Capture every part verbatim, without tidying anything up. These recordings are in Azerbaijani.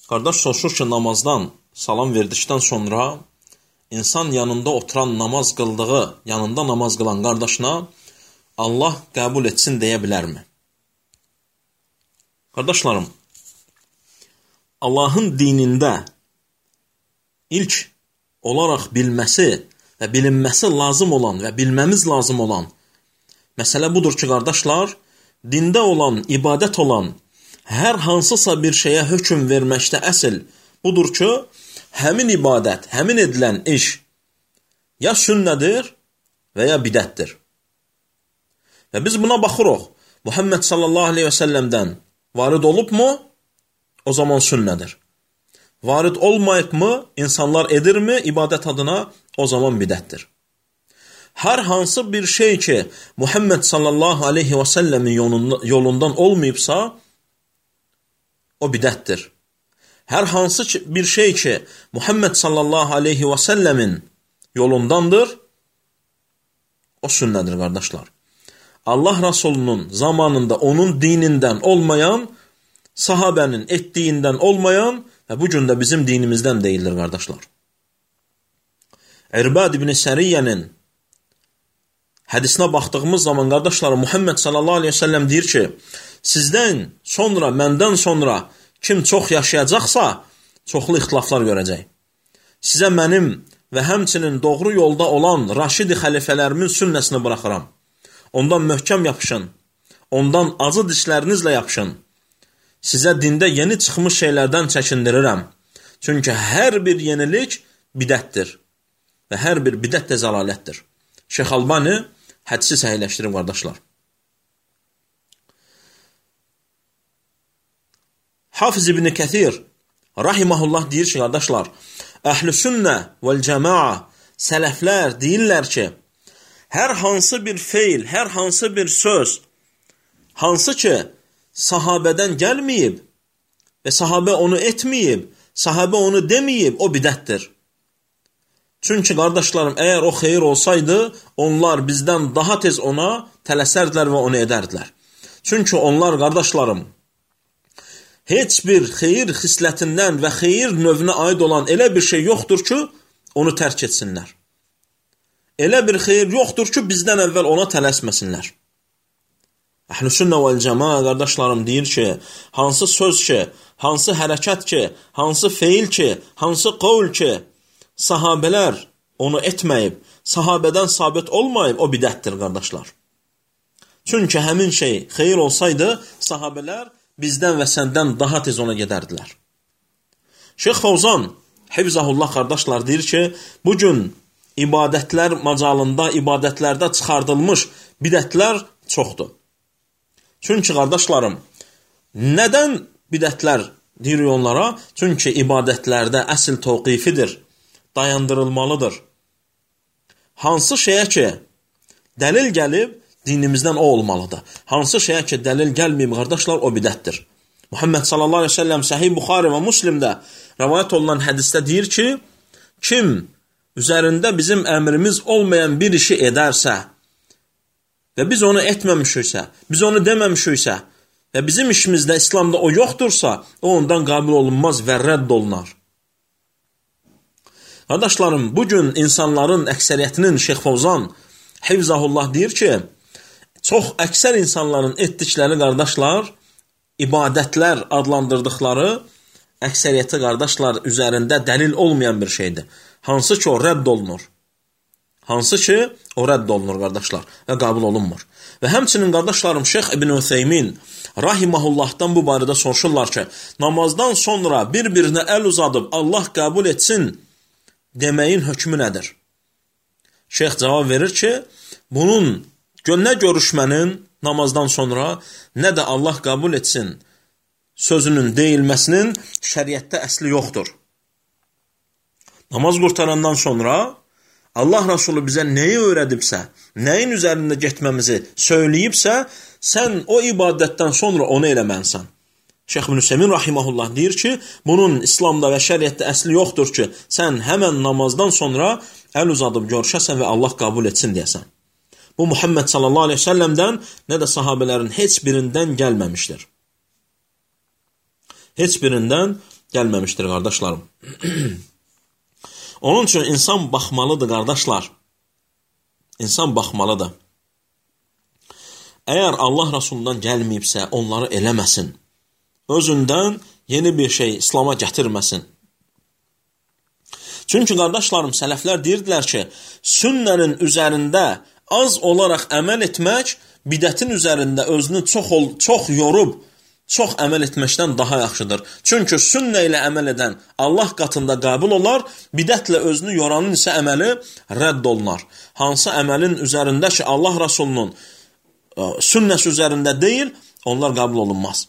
Qardaş soruşur ki, namazdan salam verdikdən sonra insan yanında oturan namaz qıldığı, yanında namaz qılan qardaşına Allah qəbul etsin deyə bilərmi? Qardaşlarım, Allahın dinində ilk olaraq bilməsi və bilinməsi lazım olan və bilməmiz lazım olan məsələ budur ki, qardaşlar, dində olan, ibadət olan hər hansısa bir şeyə hökm verməkdə əsl budur ki, həmin ibadət, həmin edilən iş ya sünnədir və ya bidətdir. Və biz buna baxırıq. Muhammed sallallahu aleyhi və səlləmdən varid olubmu? O zaman sünnədir. Varid olmayıbmı? İnsanlar edirmi ibadət adına? O zaman bidətdir. Hər hansı bir şey ki, Muhammed sallallahu aleyhi və səlləmin yolundan olmayıbsa, o bidətdir. Hər hansı bir şey ki, Muhammed sallallahu aleyhi və səlləmin yolundandır, o sünnədir, qardaşlar. Allah Rasulunun zamanında onun dinindən olmayan, sahabənin etdiyindən olmayan və bu gün də bizim dinimizdən deyildir, qardaşlar. İrbad ibn Səriyyənin hədisinə baxdığımız zaman, qardaşlarım, Muhammed sallallahu aleyhi və səlləm deyir ki, sizdən sonra, məndən sonra kim çox yaşayacaqsa, çoxlu ixtilaflar görəcək. Sizə mənim və həmçinin doğru yolda olan Raşidi xəlifələrimin sünnəsini buraxıram. Ondan möhkəm yapışın, ondan acı dişlərinizlə yapışın. Sizə dində yeni çıxmış şeylərdən çəkindirirəm. Çünki hər bir yenilik bidətdir və hər bir bidət də zəlalətdir. Şeyx Albani hədisi səhihləşdirib, qardaşlar. Hafiz ibn Kəthir rahiməhullah deyir ki, qardaşlar, əhl-i sünnə vəl-cəmaa sələflər deyirlər ki, hər hansı bir feil, hər hansı bir söz, hansı ki, sahabədən gəlməyib və sahabə onu etməyib, sahabə onu deməyib, o bidətdir. Çünki, qardaşlarım, əgər o xeyir olsaydı, onlar bizdən daha tez ona tələsərdilər və onu edərdilər. Çünki onlar, qardaşlarım, heç bir xeyir xislətindən və xeyir növünə aid olan elə bir şey yoxdur ki, onu tərk etsinlər. Elə bir xeyir yoxdur ki, bizdən əvvəl ona tələsməsinlər. Əhl-i sünnə vəl-cəmaa, qardaşlarım, deyir ki, hansı söz ki, hansı hərəkət ki, hansı feil ki, hansı qovl ki, sahabələr onu etməyib, sahabədən sabit olmayıb, o bidətdir, qardaşlar. Çünki həmin şey xeyir olsaydı, sahabələr bizdən və səndən daha tez ona gedərdilər. Şeyx Fəvzan, hifzəhullah, qardaşlar, deyir ki, bugün ibadətlər macalında, ibadətlərdə çıxardılmış bidətlər çoxdur. Çünki, qardaşlarım, nədən bidətlər deyirik onlara? Çünki ibadətlərdə əsl təvqifidir, dayandırılmalıdır. Hansı şeyə ki, dəlil gəlib, dinimizdən o olmalıdır. Hansı şeyə ki, dəlil gəlməyib, qardaşlar, o bidətdir. Muhammed sallallahu aleyhi ve sellem Səhih Buxari və Müslimdə rəvayət olunan hədisdə deyir ki, kim üzərində bizim əmrimiz olmayan bir işi edərsə və biz onu etməmişiksə, biz onu deməmişiksə və bizim işimizdə İslamda o yoxdursa, o ondan qəbul olunmaz və rədd olunar. Qardaşlarım, bugün insanların əksəriyyətinin Şeyx Fəvzan hifzəhullah deyir ki, çox əksər insanların etdikləri, qardaşlar, ibadətlər adlandırdıqları əksəriyyəti, qardaşlar, üzərində dəlil olmayan bir şeydir. Hansı ki, o rədd olunur. Hansı ki, o rədd olunur, qardaşlar, və qəbul olunmur. Və həmçinin, qardaşlarım, Şeyx İbn Ütheymin rahiməhullahdan bu barədə soruşurlar ki, namazdan sonra bir-birinə əl uzadıb Allah qəbul etsin deməyin hökmü nədir? Şeyx cavab verir ki, bunun nə görüşmənin namazdan sonra, nə də Allah qəbul etsin sözünün deyilməsinin şəriətdə əsli yoxdur. Namaz qurtarandan sonra Allah Rasulü bizə nəyi öyrədibsə, nəyin üzərində getməmizi söyləyibsə, sən o ibadətdən sonra onu eləmənsən. Şeyx İbn Üseymin rahiməhullah deyir ki, bunun İslamda və şəriətdə əsli yoxdur ki, sən həmən namazdan sonra əl uzadıb görüşəsən və Allah qəbul etsin deyəsən. Bu, Muhammed sallallahu aleyhi ve sellemdən, nə də sahabələrin heç birindən gəlməmişdir. Heç birindən gəlməmişdir, qardaşlarım. Onun üçün insan baxmalıdır, qardaşlar. İnsan baxmalıdır. Əgər Allah Rasulundan gəlməyibsə, onları eləməsin. Özündən yeni bir şey İslama gətirməsin. Çünki, qardaşlarım, sələflər deyirdilər ki, sünnənin üzərində az olaraq əməl etmək, bidətin üzərində özünü çox, çox yorub, çox əməl etməkdən daha yaxşıdır. Çünki sünnə ilə əməl edən Allah qatında qəbul olar, bidətlə özünü yoranın isə əməli rədd olunar. Hansı əməlin üzərində ki, Allah Rasulunun sünnəsi üzərində deyil, onlar qəbul olunmaz.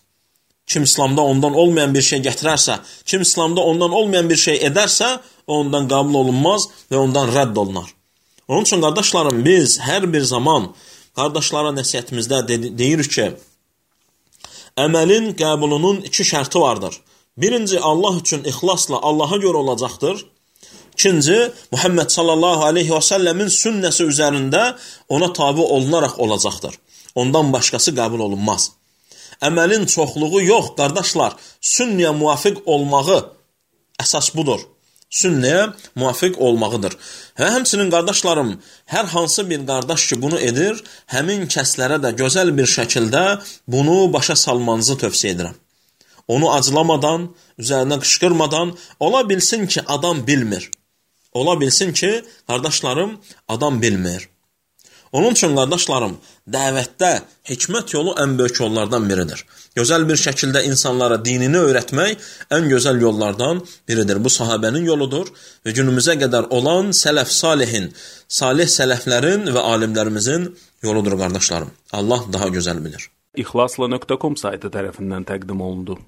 Kim İslamda ondan olmayan bir şey gətirərsə, kim İslamda ondan olmayan bir şey edərsə, ondan qəbul olunmaz və ondan rədd olunar. Onun üçün, qardaşlarım, biz hər bir zaman qardaşlara nəsihətimizdə deyirik ki, əməlin qəbulunun iki şərti vardır. Birinci, Allah üçün ixlasla Allaha görə olacaqdır. İkinci, Muhammed sallallahu aleyhi və səlləmin sünnəsi üzərində ona tabi olunaraq olacaqdır. Ondan başqası qəbul olunmaz. Əməlin çoxluğu yox, qardaşlar, sünnəyə müvafiq olmağı əsas budur. Sünnəyə müvafiq olmağıdır. Və həmçinin, qardaşlarım, hər hansı bir qardaş ki, bunu edir, həmin kəslərə də gözəl bir şəkildə bunu başa salmanızı tövsiyə edirəm. Onu acılamadan, üzərinə qışqırmadan, ola bilsin ki, adam bilmir. Ola bilsin ki, qardaşlarım, adam bilmir. Onun üçün, qardaşlarım, dəvətdə hikmət yolu ən böyük yollardan biridir. Gözəl bir şəkildə insanlara dinini öyrətmək ən gözəl yollardan biridir. Bu sahabənin yoludur və günümüzə qədər olan sələf salihin, salih sələflərin və alimlərimizin yoludur, qardaşlarım. Allah daha gözəl bilir. İxlasla nöqtə com saytı tərəfindən təqdim olundu.